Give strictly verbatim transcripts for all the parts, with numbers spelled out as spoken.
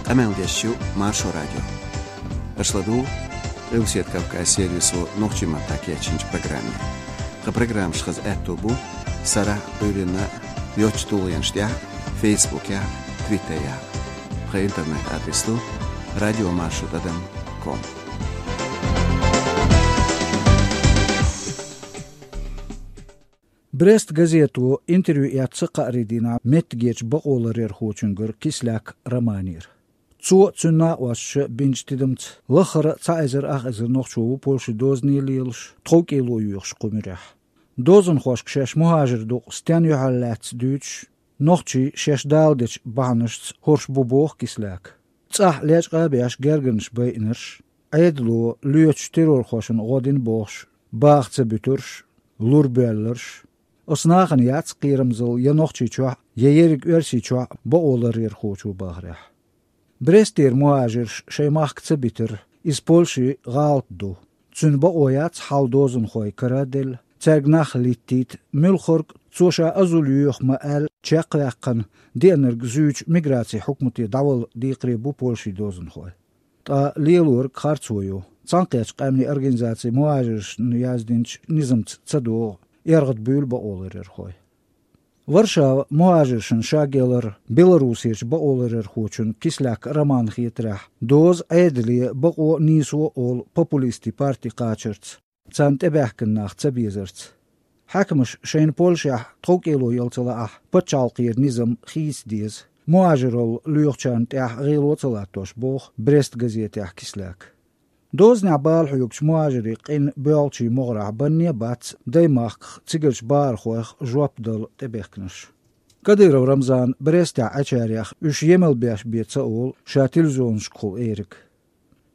Къамел деш ю Маршо радио. Аша ладугӀу Къилбаседа Кавказ сервисо нохчийн маттахь кечйинчу программе. Тхан программаш хаза аьтто бу сарахь а, Ӏуьйранна а йоцчу тулгӀенаш тӀехь а, Фейсбукехь а, Твиттерехь а. Тхан интернет-адрес ду радиомаршо тӀадам ком. «Брест» газето интервью эцна кхаарин дийнахь меттигерчу бакъоларъярхочуьнгара Кислак Романера. Цо а, цуьнан накъосташа а бинчу тидамца, лаххара а цхьа эзар ах эзар нохчо ву Польшин дозане лелаш, тховкӀело йоьхуш кху муьрехь. Дозанхошка шаьш мухӀажир дукъ стенна юьхьарлаьцна дуьйцуш, нохчий шаьш даладечу бахьанашца хӀорш бу боху Кислака. ЦӀахь лечкъа а беш гергарнаш байинарш, Ӏедало лоьцучу террорхошна гӀо дина бохуш, баха ца буьтурш, лур боьлларш. Оцу нахана яц кхерамзалла я Нохчийчохь а, я ерриг Оьрсийчохь а бакъоларъярхочо бахарехь. Брестера мухӀажирш шайн махка ца битар, иза Польшин гӀалат ду. Цуьнан бакъо яц хьал дозанхой кара а делла, цаьрга нах литтийта, муьлххарг а цо ша азул йоьху ма аьлла, чекхваьккхина, деанарг зуьйчу миграцин хьукмате дӀавала декхаре бу Польшин дозанхой. Ткъа лелориг харцо ю. Цхьаьнакхеттачу къаьмнийн организацин мухӀажиршна яздинчу низамца ца догӀу эргӀадбуьйлу бакъоларъярхой. Варшава мухӀажиршна шагелар Беларусерчу бакъоларъярхочун Кислак Романан хетарехь, доза Ӏедале бакъо а, нийсо а олу популистийн парти кхачарца, царна тӀебаьхкина нах ца безарца. Хьаькамаш шайна Польшехь тховкӀело яла ца лаахь, пачхьалкхера низам хийца деза, мухӀажиралла лоьхучарна тӀехь гӀело а ца латтош, боху «Брест» газетехь Кислака. Дозанехь бала хьоьгучу мухӀажирийн къинан боьлхачийн могӀарехь банне а бац даймахках цигарчу бахархойх жоп дала тӀебехкинарш. Кадыров Рамзана Брестехь Ӏечарех уьш емал беш бен ца олу ша телевизионашкахула эриг.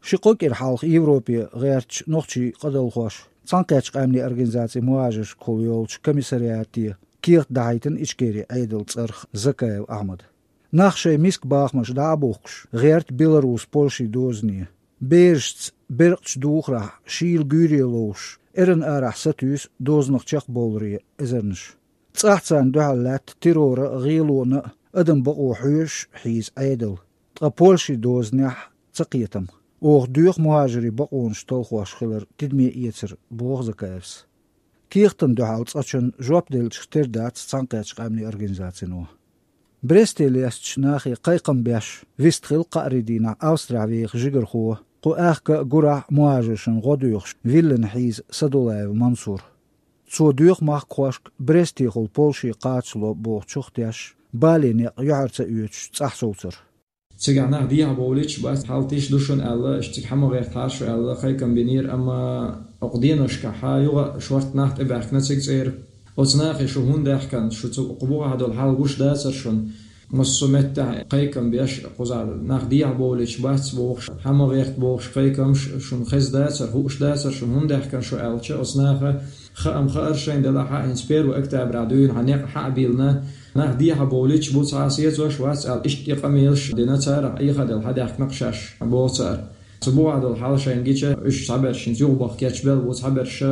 Ши-кхо кӀира хьалха Европе гӀертачу нохчийн къадалхоша Цхьаьнакхеттачу къаьмнийн организацин мухӀажиршкахула йолчу комиссариате кехат дахьийтина Ичкерин Ӏедалан цӀарах Закаев Ахьмада. Нах шайн миска бахамаш дӀа а бухкуш, гӀерта Беларус Польшин дозане. Берашца беркъачу духарехь шийла гуьйре ловзуш, эрна арахь сатуьйсу дозанах чекхбовларе эзарнаш. ЦӀахь царна дуьхьал лаьтта террора а, гӀелона а, адаман бакъо хьоьжуш а хьийза Ӏедал. Ткъа Польшин дозанехь ца кхетам. Оха доьху мухӀажирийн бакъонаш талхош хилар тидаме эцар, боху Закаевс. Кехатна дуьхьал цкъачунна жоп деллачух тера дац Цхьаьнакхеттачу къаьмнийн организацино. Бресте лестачу нахе кхайкхам беш вистхилла кхаарин дийнахь Австрехь веха жигархо, кху аьхка а гурахь а мухӀажиршна гӀо доьхуш, виллина хьийза Садулаев Мансур. Цо доьху махкахошка Брестехула Польше кхачало бохучух а тешна, бален некъ юьхьар ца оьцуш цӀахь совцар. Цигахь нах дехьа бовлуьйтуш бац, хьал тиша ду шуна аьлла, аша цига хьа ма гӀертахьара шу аьлла, кхайкхам бинера, амма оцу деношкахь юха шортта нах тӀебаьхкина цига цӀера. Оцу нахе шу хӀунда даьхкина, шу цу кху бухахь долу хьал гуш дацара шуна? Массо а меттехь кхайкхам беш, кхузахь нах дехьа бовлуьйтуш бац бохуш, хьа ма гӀерта бохуш кхайкхамаш шуна хезна дацара, хууш дацара шуна, хӀунда даьхкина шу аьлча, оцу наха хаам хаьара шайна делахь а, хӀинца первый октября дуьйна хьан некъ хьа а бийлина, нах дехьа бовлуьйтуш бу, цхьа а сецош вац аьлла, иштта и къамелаш дина царах, Ӏехаделла хьадаьхкина-кх шаьш, боху цара. Цу бухахь долу хьал шайна гича, уьш цхьаберш хӀинца юхабаха кечбелла бу, цхьаберш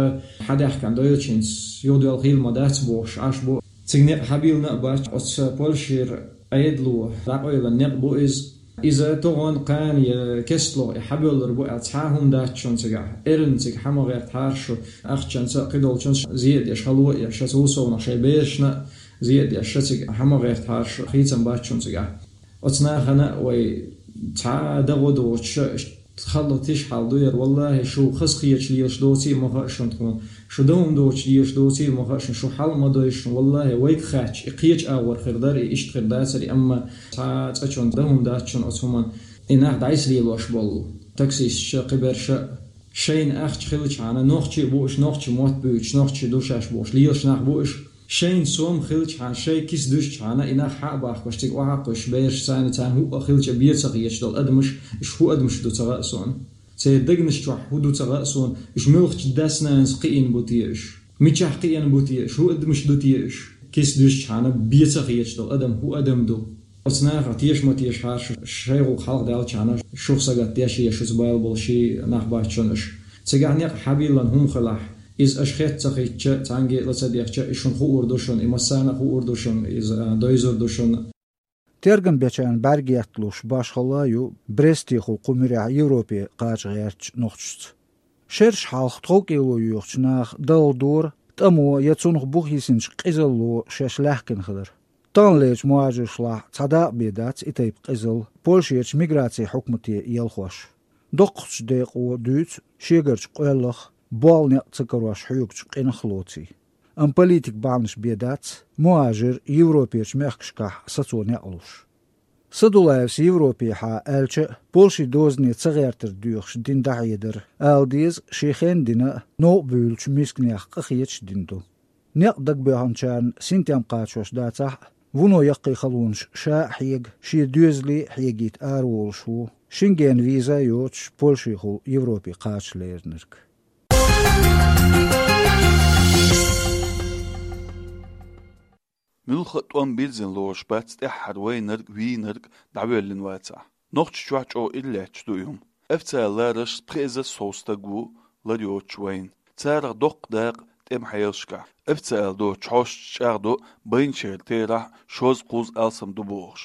хьадаьхкина дойлучу хӀинца юхадоьлла хилла ма дац бохуш Ӏаш бу. Цига некъ хьабийлина а бац, оцу Польшера Ӏедало дӀакъевлина некъ бу иза. Иза тохана, кхана я кестлугӀа и хьабевллар бу аьлла цхьа а хӀума дац шуна цигахь. Эрна цига хьа ма гӀертахьара шу, ахчанца а, кхидолчунца а зе а деш, хало а еш, шаца вусовнах шайн берашна а зе а деш, ша цига хьа ма гӀертахьара шу, хийцам бац шуна цигахь. Оцу нахана а вай цхьа а дагӀо доцуш, халла тиша хьал ду яра, валлахӀи, шу хаза кхеташ лелаш доций а ма хаьа шуна тхуна, шу дан хӀума доцуш лелаш доций а ма хаьа шуна, шу хьал а ма дойшу шуна, валлахӀи, вайга хаьттича, и кхечу агӀор хир дара, и иштта хир дацара, амма цхьа а цкъачунна дан хӀума дац шуна оцу хӀуманна. И нах дӀасалелош болу таксисташа, кхиберша а, шайна ахча хилчахьана, нохчий а бу уьш, нохчийн мотт буьйцуш, нохчий ду шаьш бохуш лелаш нах бу уьш. Шайна сом хилчахьана, шайн киса дуьсчахьана, и нах хьа а бахкош, цига охьа а кхуьссуш, бераш царна, царна хӀуъа хилча бен ца хеташ долу адамаш, уьш хӀун адамаш ду ца хаьа суна. Церан дегнаш чохь хӀун ду ца хаьа суна, уьш муьлхачу дас-нанас кхиийна бу те уьш? Мичахь кхиийна бу те уьш? ХӀун адамаш ду те уьш? Киса дуьсчахьана бен ца хеташ долу адам хӀун адам ду? Оцу нахах теша ма тешахьара шу, шайн гӀуллакх хьалха даьллачхьана, шух сагатдеш я шуьца бала болу ши нах бац шуна уьш. Цигахь некъ хьабийллина хӀума хилахь, иза аша хетта ца хетча, цхьаьнгге а ла ца дехча, и шуна хуур ду шуна, и массарна а хуур ду шуна, иза, а, дойзур ду шуна. Тергам бечарна бӀаргаятталуш башхалла а ю Брестехула кху муьрехь Европе кхача гӀертачу нохчашца. Шераш хьалха тховкӀело йоьхучу наха далла дора тӀамо я цунах бух йисинчу къизалло шаьш лаьхкина хилар. Таханлерчу мухӀажаршлахь цхьа дакъа бен дац и тайпа къизалла Польшерчу миграцин хьукмате ялхош. Доккхачу декъо дуьйцу шегарчу къоьллах, болу некъ ца карош хьоьгучу къинах а лоций. Амма политик бахьанаш бен дац мухӀажар Европерчу мехкашкахь сацо некъ луш. Садулаевс Европехьа аьлча а, Польшин дозане ца гӀертар доьхуш дина дӀахьедар, ала деза, шен хенна дина а, новкъа буьйлучу мисканех къахеташ а дина ду. Некъ дагабоьхначарна синтем кхачош дацахь а, вуно яккхий халонаш ша а хьега, шен доьзале а хьегийта араволуш ву, Шенген виза а йоцуш, Польшехула Европе кхача леринарг. Муьлхха а тӀом бирзина лоруш бац тӀаьххьара вайнарг, вийнарг дӀавоьллина вацахь. Нохчийчохь чӀогӀа ира лаьтташ ду и хӀума. Официалан лараршца пхи эзар сов стаг ву лар йоцуш вайна. Царах доккха дакъа тӀеман хьелашкахь. Официалан доцучу хьосташа чӀагӀдо, байначеран терахь шозза-кхузза алсам ду бохуш.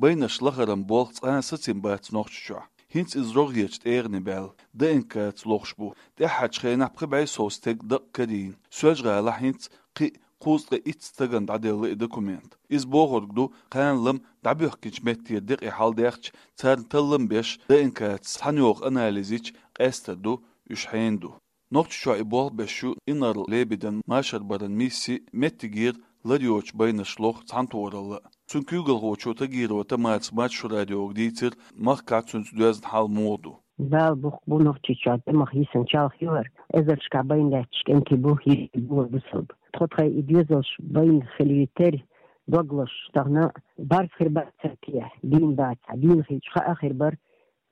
Байнарш лахаран болх цкъа а сацийна бац Нохчийчохь. ХӀинца иза рогӀерчу тӀегӀане баьлла, ДНК-ца лохуш бу. ТӀаьххьарчу хенахь пхи бӀе сов стеган дакъа карийна. Соьлжа-ГӀалахь хӀинца кхин а кхузткъе итт стагана дӀаделла и документ. Иза бохург ду, кхана лам дӀабоьхкинчу меттера декъий хьал даьхча, царна таллам беш, ДНК-ца цхьаьна йоху анализ йича, къаьстар ду, уьш хьенан ду. Нохчийчохь и болх беш ю Инарла-Лебедин машар баран мисси, меттигера лар йоцучу байнарш лоху цхьаьнатохаралла а. Цуьнан куьйгалхочо Тагирова Тамарас Маршо радиога дийцира, махкахь цуьнца доьзна хьал муха ду. Бала бухку бу Нохчийчохь тӀемах йисина чалха йоьхура, эзаршкахь байна лаьтташ кӀентий бу, йист бу, бусалба. Тхо тхайн и доьзалш байна хилийтира, дог лозуш тахана барз хир бац цара тӀехь, дийна бацахь, дийна хилча хаа хир бара,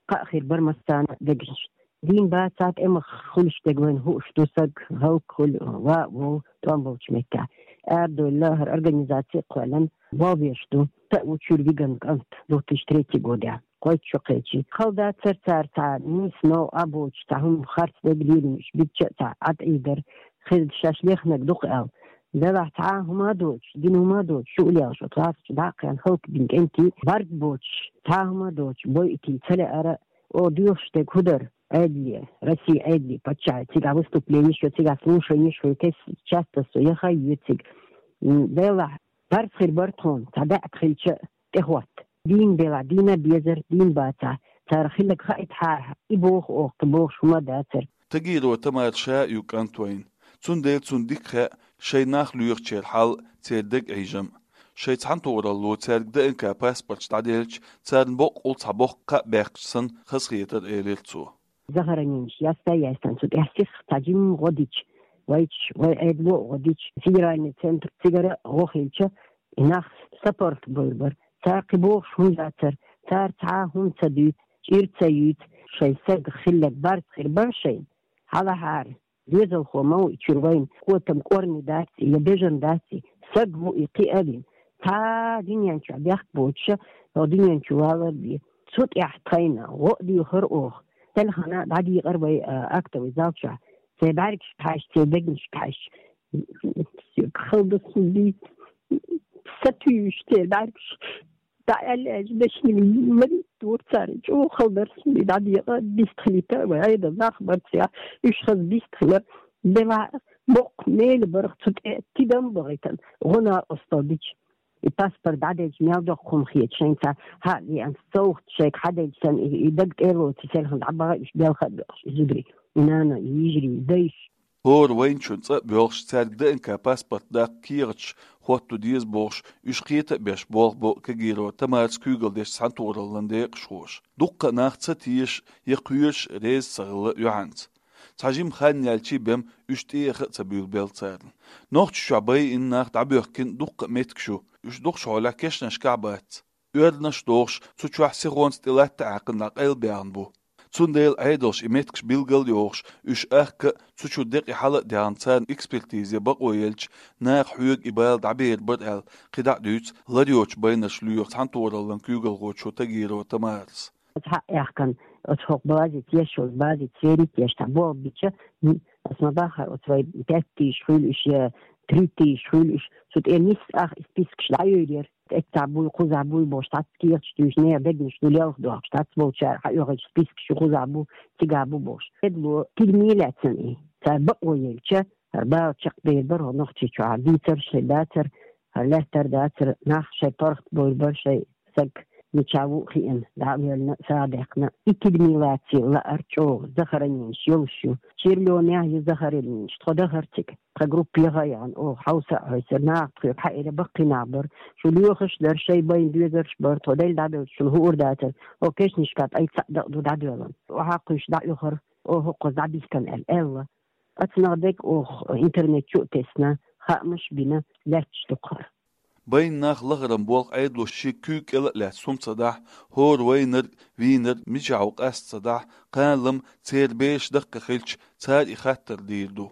кхаа хир бара массарна а дегнаш. Дийна бацахь, тӀемах хуьлуш дерг вайна хууш ду, саг хӀаллакьхуьлу, ван а вов, тӀом болчу меттехь. Арадевлла хӀара организаци а кхоьллина, болх беш ду. Са а ву чуьра вигна кӀант, две тысячи третий годехь, кхойтта шо кхечи. Хала дацара цара цхьа нийса новкъа а боцуш, цхьа хӀума харц дерг лелийна, уьш битча а цхьа Ӏад Ӏийдар, хезна шаьш лехнарг ду-кх аьлла. Делахь цхьа а хӀума а доцуш, дина хӀума а доцуш, шу уллехь шо тӀаьхьа чу дӀа а кхаьчна, хӀаллакбина кӀентий барт боцуш, цхьа а хӀума а доцуш, бойъитий ца лаьара, оха доьхуш дерг хӀун дара? Ӏедале, Россин Ӏедале, паччахье, цигахь выступлени йо, цигахь слушани йо, хӀун кес часто со яха а йоьцига. М, делахь, барз хир бара тхуна, цхьа даьӀахк хилча а тӀехӀотта. Дийна делахь, дийна безар, дийна бацахь, цара хилларг хаийта хьарахь, и боху оха, кхин бохуш хӀума а дацара. Тагирова Тамара ша а ю кӀант вайна. Цундела цунна дика хаьа шайн нах лоьхучеран хьал, церан дегӀан Ӏийжам. Шайн цхьаьнатохаралло цаьрга ДНК паспорташ дӀаделча, царна боккъал цхьа боккха кхаъ баьккхича санна хазахетара, элира цо. Захороненеш яста а яьстина цу тӀехь сиха цхьа жимма гӀо дича, вайчу, вай Ӏедало а гӀо дича, федеральный центр, цигара а гӀо хилча, и нах сапаргӀат бевр бара. Цара кхин бохуш хӀума дацара, цара цхьа а хӀума ца дуьйцу, чӀир ца юьйцу, шайн сагах хилларг барз хир бара шайна. Хьалахьара, доьзалхо ма ву и чуьра вайна, котам кӀорни дац и, я бежан дац и, саг ву и кхин а вина. Цхьа а дуьнен чохь бехк боцуша, хӀокху дуьнен чу валар бен. Цу тӀехь тхайна гӀо а доьхура оха. Селхана дӀадийкъара вай, а, актовый зал чохь. Церан бӀаьргашка хьаьжча, церан дегнашка хьаьжча, хала дара суна бийца. Сатуьйсуш церан бӀаьргаш дӀа аьлла аьлча, дешнийн марийта дора цара. ЧӀогӀа хала дара суна бийца, дӀадекъа, бистхилийта, вай Ӏедалан нах бара цигахь, уьш хаза бистхилара. Делахь, боккха мела бара цу тӀе тидам а бахийтина, гӀо накъосталла дича. И паспорт дӀаделча мел доккха хӀума хета шайна, ца хьа а веана, совгӀат шайга хьаделча санна, и, и дага тӀе а лоций, селхана дӀабаха уьш, белха а боькъуш, и зударий, и нана, и йижарий, и дайша. ХӀора вайначунна цӀа а боьлхуш, цаьрга ДНК паспорт даккха кехаташ хӀотто деза бохуш, уьш кхета а беш, болх бо Кагирова Тамарас куьйгалла деш цхьаьнатохараллин декъашхоша. Дуккха а нах ца теша я кхоьруш реза ца хилла юьхьанца. Цхьа жимма хан яьлчий бен уьш тӀеэха а ца буьйлабелла царна. Нохчийчохь байина нах дӀабоьхкина дуккха а меттигаш ю, уьш дукхачу хьолехь кешнашкахь а бац. Оьрнаш а дохуш, цу чохь сихонца тӀе латта а Ӏаьккхина дӀакъайлабаьхна бу. Цундела Ӏедалша и меттигаш билгал а йохуш, уьш ахка а, цу чуьра декъий хьала а даьхна, царна экспертизе бакъо елча, наха хьоьга и бала дӀабер бара аьлла, кхидӀа а дуьйцу лар йоцучу байнарш лоьху цхьаьнатохараллин куьйгалхочо Тагирова Тамарас. Оцу хьаъ яхкана, оцу хӀокху базица, еш йолу базица верить еш цхьа болх бича, м, аса ма баххара, оцу вай пять тысяч хуьлу уьш я три тысяч хуьлу уьш, цу тӀе нисса ах и спискаш дӀайойр яра. эццахь буй, кхузахь буй бохуш, цхьацца кехаташ туьйсуш, нехан дегнаш ду лелха дохкуш, цхьацца болчара хьаоьхуьйтуш спискаш ю, кхузахь бу, цигахь бу бохуш. Эдало тидаме лаьцна и. Цара бакъо елча, хӀара бала чекхдер бара хӀокху Нохчийчохь, дийцар шайн дацара, хӀара лаьттар дацара, нах шайн паргӀат бовр бара, шайн саг мичахь ву а хиъна, дӀа а воьллина, сагӀа даьккхина. И тидаме лаций лаар чӀогӀа захороненеш йолуш ю. Червлёнехь ю захороненеш, тхо дахара цига. Тхан группа яха а яхана, оха хьовса а хьовсура, наха тхоьга хьаэра, баккхий нах бара. Шу лоьхуш а дара, шайн байна доьзалш а бара, тхо делла дӀадоьлча шуна хуур дацара. Оха кешнашкахь пӀелг цхьаъ дакъа ду дӀадоьллина. Оха хьакхуьйсуш дӀа а оьхура, оха хӀокхуза дӀабихкина аьлла, аьлла. Оцунах дерг оха интернет чу а тесна, хаамаш а бина, лаьтташ ду-кх хӀара. Байна нах лахаран болх Ӏедало шен куьйга кӀел а лаьцна хӀума ца дахь, хӀора вайнарг, вийнарг мичахь ву къаста ца дахь, кхана-лама церан бераш даккхий хилча, цара и хаттар дийр ду.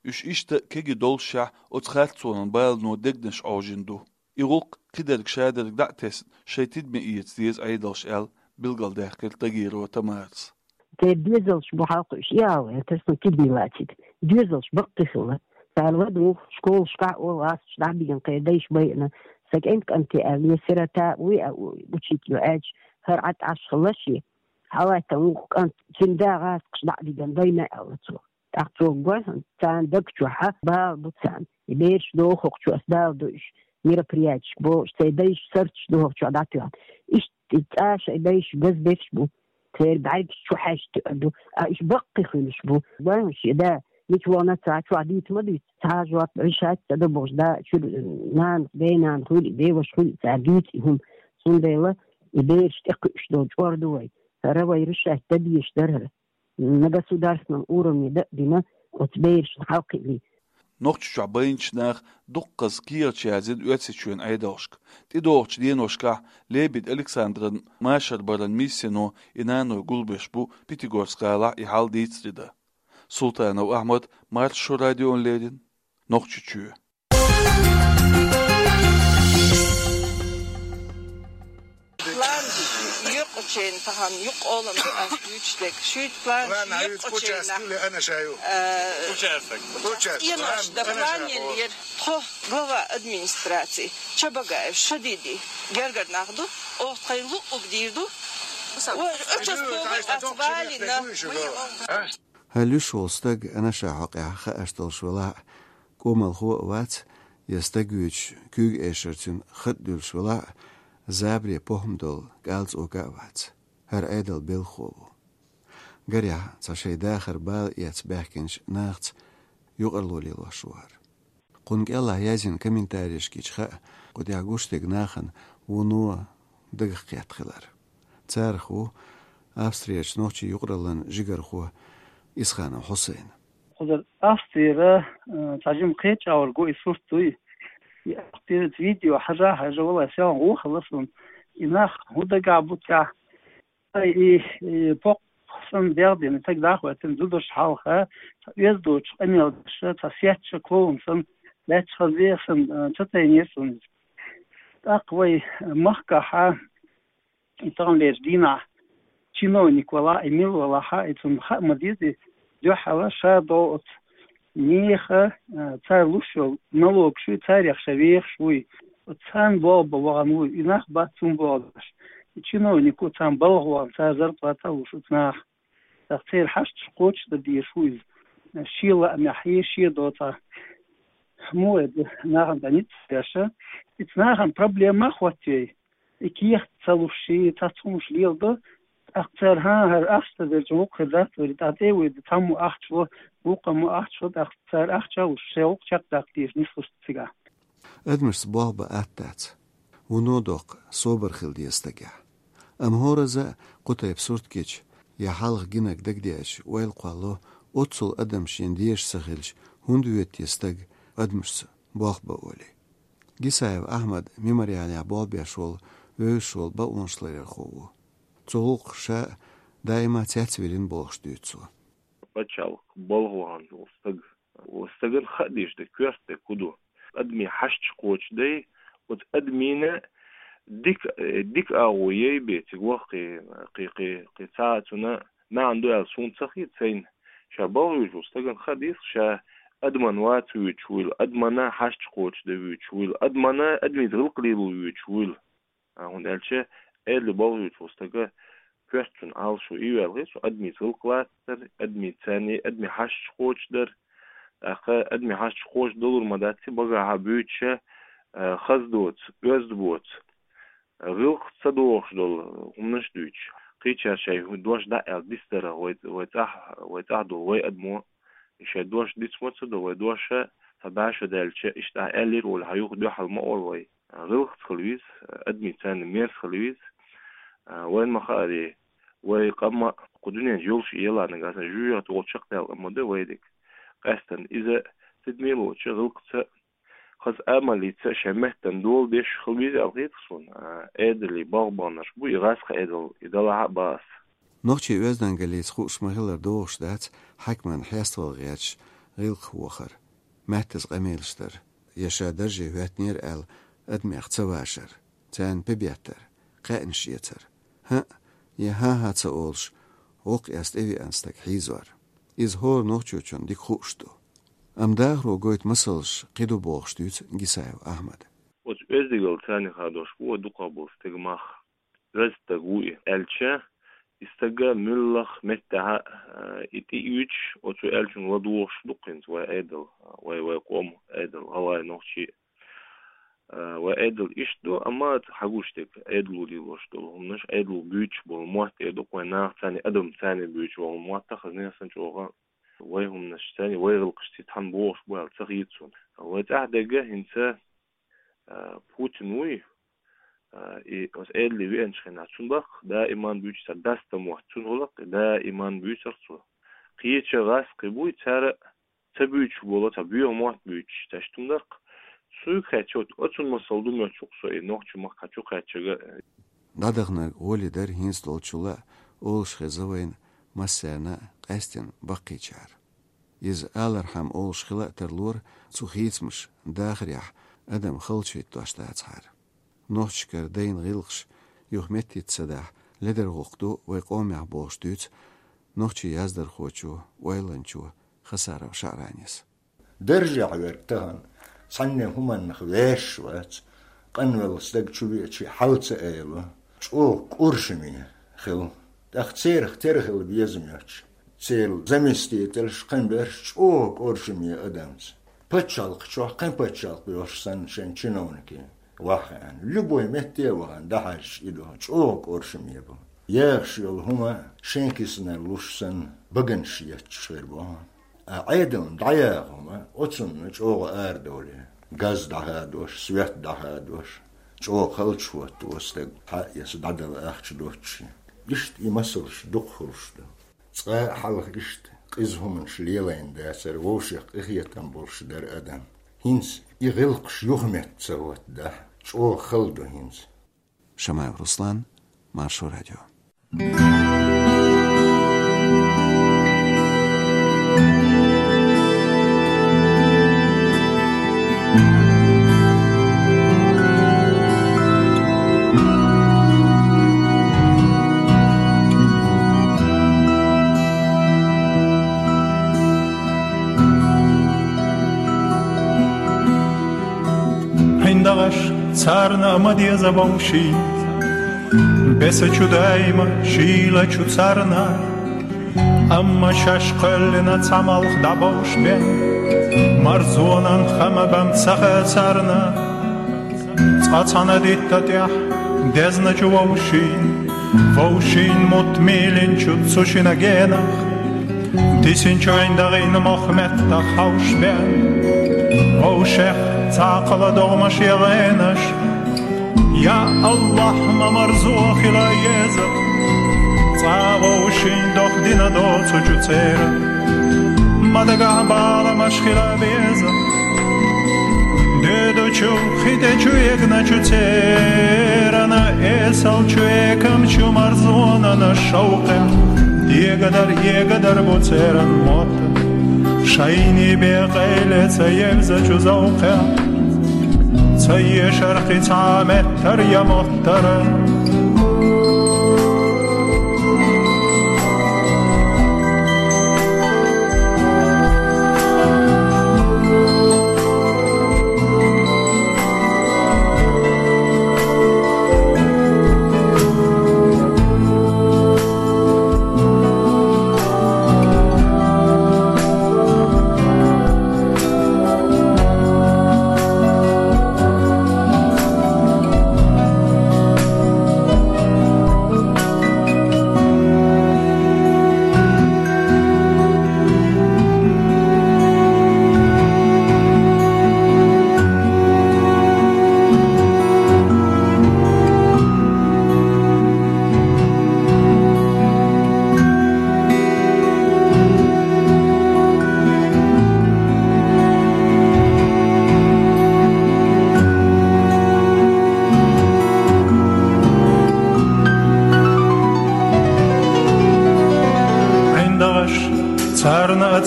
Уьш иштта кегий доллушехь, оцу харцонан балано дегнаш Ӏожийна ду. И гӀуллакх кхидерг шадерг дӀа а тесна, шайн тидаме эца деза Ӏедалша аьлла, билгалдаьккхира Тагирова Тамарас. Церан доьзалш бу хьалакхуьуш, и ала ваьлла, тера суна тидаме лацийтар. Доьзалш баккхий хилла. Цара ладугӀу, школашкахь а олу гӀазкхаша дӀабигна, кхеран дайша байина. Сан кӀентан кӀанте аьлла, я сирота вуй, а, учитель ю аьлча, хӀара Ӏад Ӏаш хилла шен. Хьалаьттан вукху кӀант, цуьнан да гӀазкхаша дӀа а дигна, байна аьлла цо. ТӀаккха цо гой хьуна, царна даг чохь а бала бу царна. И бераш доху хӀокху чу, ас бала ду уьш, мероприятешка бохуш, церан дайша сарташ ду хӀокху чохь дӀатоьхна. Иштта и цӀа шайн дайша газберш бу, церан бӀаьргаш чу хьаьжча тоьар ду, а уьш баккхий хуьлуш бу. Гой хьуна шен да, мича вахана ца, чохь дийца ма дуьйцу, цхьа а жоп, решать ца до бохуш, да, чуьра нана, бен-нана хуьлу и, бен-ваша хуьлу и, цара дуьйцу и хӀума. Цундела и бераш тӀекхуьуш долу чӀор ду вай. ХӀара вай решать дан дезаш дара хӀара. На государственном уровне дан а дина, оцу берашна хьалакхиъний. Нохчийчохь байначу наха дуккхаза кехаташ яздина Оьрсийчоьнан Ӏедалшка. ТӀедогӀучу деношкахь Лебедь Александран машар баран миссино и наной гулбеш бу Пятигорск-гӀалахь и хьал дийцаре дан. Султанов Ахьмад, Маршо радиона леррина, Нохчийчоь. План юкъачийн тахана юкъа олам ду ас дуьйцуш дерг. Шуьйта план План юкъачийн хьаюьйту куча ас тахана. Куле ана шаю. Э, Куча ас так. Куча ас. Инош да план план ана шаю. План ел ер тхо глава администрации Чабагаев Шадиди гергара нах ду. Оха тхайн луъуг дийр ду. Ой, участковый ас валина. Хьалуьш волу стаг анаша хьокъехь хаарш долуш велахь а, кӀомалхо а вац, я стаг вуьйцуш куьйга эшар цуьнан хатӀ дуьллуш велахь а, забаре похӀма долу кӀалцӀока а вац. ХӀара Ӏедал белхахо ву. Гарехь, цхьа шайн дахар бала эцна баьхкинчу нахаца юкъарло лелош ву хӀара. Кхунна кӀелахь язйина комментарийшкича хаьа, кху тӀехь гуш дерг нахана вуно дагах кхетта хилар. Царах ву Австрерчу нохчийн юкъараллан жигархо Исханов Хьусайн. Кхузара Австрера, э, цхьа жима кхечӀагӀвар го и сурт дуй. И Австрера видео хьажа, хьажа, валлай, сел гӀо хилла суна. И нах хӀун дагахь бу тӀехь? Ай, и, и, покх санна дегӀ дина, таг дахвайтина, зударш хьалха, цхьа оьзда доцуш къамел деш, цхьа сецча клоун санна, лаьтташ хаза веха санна, э, ца тайнера суна иза. ТӀаккха вай махкахьа, и таханлерчу дийнахь чиновник валахь, и мила валахьа, и цунна хаа ма деза, и дуьххьала ша догӀу оцу нехан, а, цара луш йолу налогаш ю, царех ша вехаш вуй. Оцу царна болх бан вахана вуй, и нах бац цунна болх беш. И чиновник ву царна балха вахана, цара зарплата а луш оцу наха. ТӀаккха церан хьашташ кхочушдан дезаш ву иза. Шен лаамехь, шен доцахь. Муха вай ду нахана тӀе ницкъ беш? Иза нахана проблема а хӀоттавей. И кехат ца луш, и цхьацца хӀумаш леладо, тӀаккха цара: «ХӀан, хӀара ахча ца делча, вукху хир дац вай, тӀаккха тӀе а вуьйду, цхьаммо ахча ло, вукхаммо ахча ло», тӀаккха цара ахча а луш, шайн гӀуллакх чекхдаккха дезаш нислуш ду цигахь. Адамашца болх бан атта дац. Вуно доккха собар хила деза стагехь. Амма хӀоразза а кху тайпа сурт гича, я хьалха гинарг дагадеача, ойла кхолло, оццул адам шена дезаш ца хилча, хӀунда воьду те стаг адамашца болх бан олий? Гисаев Ахьмад мемориалехь болх беш волу, вевзаш волу бакъонашларъярхо ву. Цу гӀуллакхах ша а даима цецвирина бохуш дуьйцу цо. Пачхьалкх балха вахана волу стаг. Оцу стагана хаа дезаш дерг, коьрта дерг хӀун ду? Адамийн хьашташ кхочушдай, оцу адамийн дика, дика агӀо яй бен цига ваха кхин, кхин, кхин, кхин цхьа а цунна маьӀна ду аьлла суна ца хета сайна. Ша балха вуьйш волу стагана хаа деза, ша адаман ваца вуьйцуш вуйла, адамана хьашт кхочушда вуьйцуш вуйла, адамана адамица гӀиллакх лело вуьйцуш вуйла. А, хӀунда аьлча Ӏедале болх беш волча стага коьрта цунна Ӏалашо ийваьлча, цу адамица гӀиллакх лацар, адамица царна, адами хьашт кхочушдар, тӀаккха адами хьашт кхочушдалур ма дац, багахьа буьйцуш, а, хаза доца, оьзда боаца, гӀиллакх ца дохуш долу хӀуманаш а дуьйцуш. Кхечара шайн дош дӀа а аьлла дицдарах вай, вай цӀахь, вай цӀахь долу вай адамо, и шайн дош дицмо ца до, вай дош цхьа бӀе шо даьлча, иштта ахь аьллера олий, хьан юха дуьхьал ма олу вай. ГӀиллакхца хила веза, адамица царна мерза хила веза. Вайна ма-хаъара, вай къам а кху дуьнен чу йолуш а елахь нагахь санна, жуьжуьгӀат волчу чекхдаьлла къам ма ду вайниг. Къаьсттина иза тидаме лоцуш, гӀиллакхца, хаза амалца, шайн меттана дола деш хила веза аьлла хета суна. А, Ӏедалан болх баханарш бу и гӀазкхийн Ӏедал, и далахь а бан ас. Нохчийн оьздангаллица хууш ма-хиллара догӀуш дац хьаькаман хьеставала гӀерташ гӀиллакхах вахар, меттаза къамелаш дар, я ша дарже хӀоьттинера аьлла адамех ца вашар, царна пе беттар, кхаьънаш эцар. ХӀаъ, я хӀан-хӀа ца олуш, воккха эс тӀевеана стаг хьийзор. Иза хӀора нохчочунна дика хууш ду. Амма дахаро гойту масалш кхин ду бохуш дуьйцу Гисаев Ахьмада. Оцу оьздангаллица царна хадош бу вай дукхах болу стеган мах. Оьзда стаг ву и аьлча, и стага муьлхха меттехь а, и тӀеуьйтуш, оцу аьллачунна ладугӀуш ду-кх хӀинца вай Ӏедал, вай, вай къоман Ӏедал, гӀалгӀай, нохчий. А, вай Ӏедал иштта ду, амма хьагуш дерг Ӏедало лелош долу хӀуманаш, Ӏедало буьйцуш болу мотт эр ду-кх вай наха, царна адам, царна буьйцуш болу мотт а хаза нехан санна чӀогӀа вай хӀуманаш, царна вай гӀиллакхаш цига цхьаьна богӀуш бу аьлла ца хета суна. Вай цӀахь дерг хӀинца, а, Путин вуй, а, и оцу Ӏедале веанчу хенахь, цунна баккха даиман буьйцуш цара, даста мотт цунна гӀуллакх, даиман буьйцура цо. Кхечу гӀазкхий буй, цара ца буьйцуш болу, цхьа боьха мотт буьйцуш, цаьш тумдаккха. Цуьнга хаьттича, оцунна масал ду моьтту со и нохчийн махкахь чу кхаьчча а. ДӀадаханарг гӀоли дара хӀинца долчул а олуш хеза вайна массарна а, къаьсттина баккхийчара. Иза алархьама олуш хила а тарлора, цу хийцамаша дахарехь адам халчахӀиттош дацахьара. Нохчашкара дайна гӀиллакхаш юха меттица ца дахь, ледар гӀуллакх ду вай къомехь бохуш дуьйцу нохчийн яздархочо, ойланчо Хасаров ШаӀранис. Даржехь верг тахана цхьанне хӀуманах вешаш вац, къанвелла стаг чу веача хьал ца айало, чӀогӀа кӀоршаме хила. ТӀаккха церах тера хила безам йоцуш, церан заместителаш, кхин берш чӀогӀа кӀоршаме адамца. Пачхьалкх чохь кхин пачхьалкх йолуш санна шайн чиновникийн вахана, любой метте а вахана, дӀахьаьжча и ду, чӀогӀа кӀоршаме бу. Яхаш йолу хӀума шайн киснара луш санна, баганаш етташ хир бу. А Ӏедална дӀаяха хӀума, оцунна чӀогӀа арадовлий. Газ дӀахадош, свет дӀахадош, чӀогӀа халчахӀотто стаг, хьаэца дӀадала ахча доццушехь. Иштта и масалш дукха хуьлуш ду. Цкъа а хьалха иштта къиза хӀуманаш лелийна дацара, вовшех къинхетам болуш дара адам. ХӀинца и гӀиллакхаш юхаметта ца хӀоттадахь, чӀогӀа хала ду хӀинца. Шамаев Руслан, Маршо радио. ХӀинца дагӀаш царна а ма деза вовшийн, бесачу даима шийлачу царна, амма шаьш кхоьллина цхьа малх дӀабовш бен, марзонан хама бан ца хаа царна. Цкъа цхьана дитта тӀехь дезначу вовшийн, вовшийн мутт мийлинчу цу шина генах, дисинчу ӀиндагӀийн мох меттах хьовш бен, вовшех цхьа кхала догӀмаш я гӀенаш. Я АллахӀ, ма марзо хила еза, цкъа вовшийн дох дина доцучу церан, ма дагахь баламаш хила беза. Доьдучу, хи тӀе чу эгначу церан, эсалчу, экамчу марзонан шовкъехь, дегадар, эгадар бу церан мотт. Шайни бен къайле ца евзачу зовкъехь, ца ешар кхин цхьа меттар я мотт. Тара.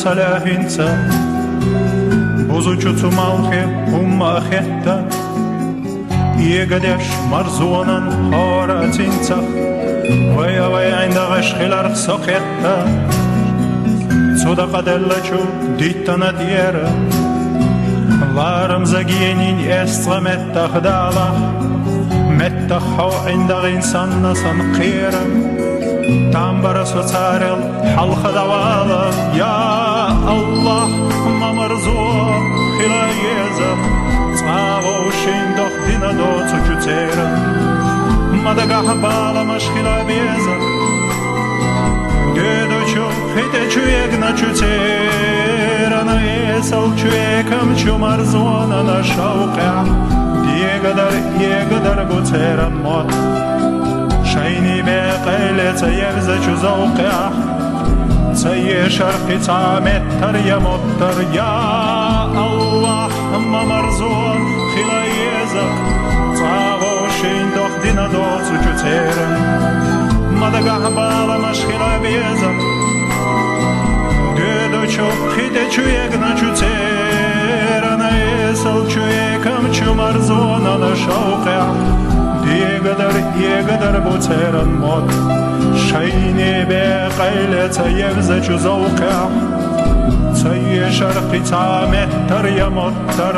Салахинца бузучу цу малхе хӀумма а хетта, эгадеш марзонан хӀора а цинцах, вай а вай ӀиндагӀаш хиларх со кхетта. Цу дакъа деллачу диттана тӀера ларам загенин эс цкъа меттах далахь, меттах хьо ӀиндагӀин санна сан кхера. Тамбара со царел хьалха давала, я Аллахь, ма марзо хила еза, цкъа вовшийн дох дина доцучу церан. Ма дагахь баламаш хила беза, доьдучу хитӀечу эгначу церан, эсалчу экамчу марзонана шавкъехь, дегадар, эгадар бу церан мотт. Шайни бекъайле ца евзачу завкъехь, ца ешар кхица меттар я моттар, я Аллахь, ма марзо хила еза, цкъа вовшийн дох дина доцучу церан. Ма дагахь баламаш хила беза, доьдучу хитӀечу эгначу церан, эсалчу экамчу марзонана шавкъехь, дегадар, эгадар бу церан мотт. Шайни бекъайле ца евзачу завкъехь, ца ешар кхица меттар я моттар,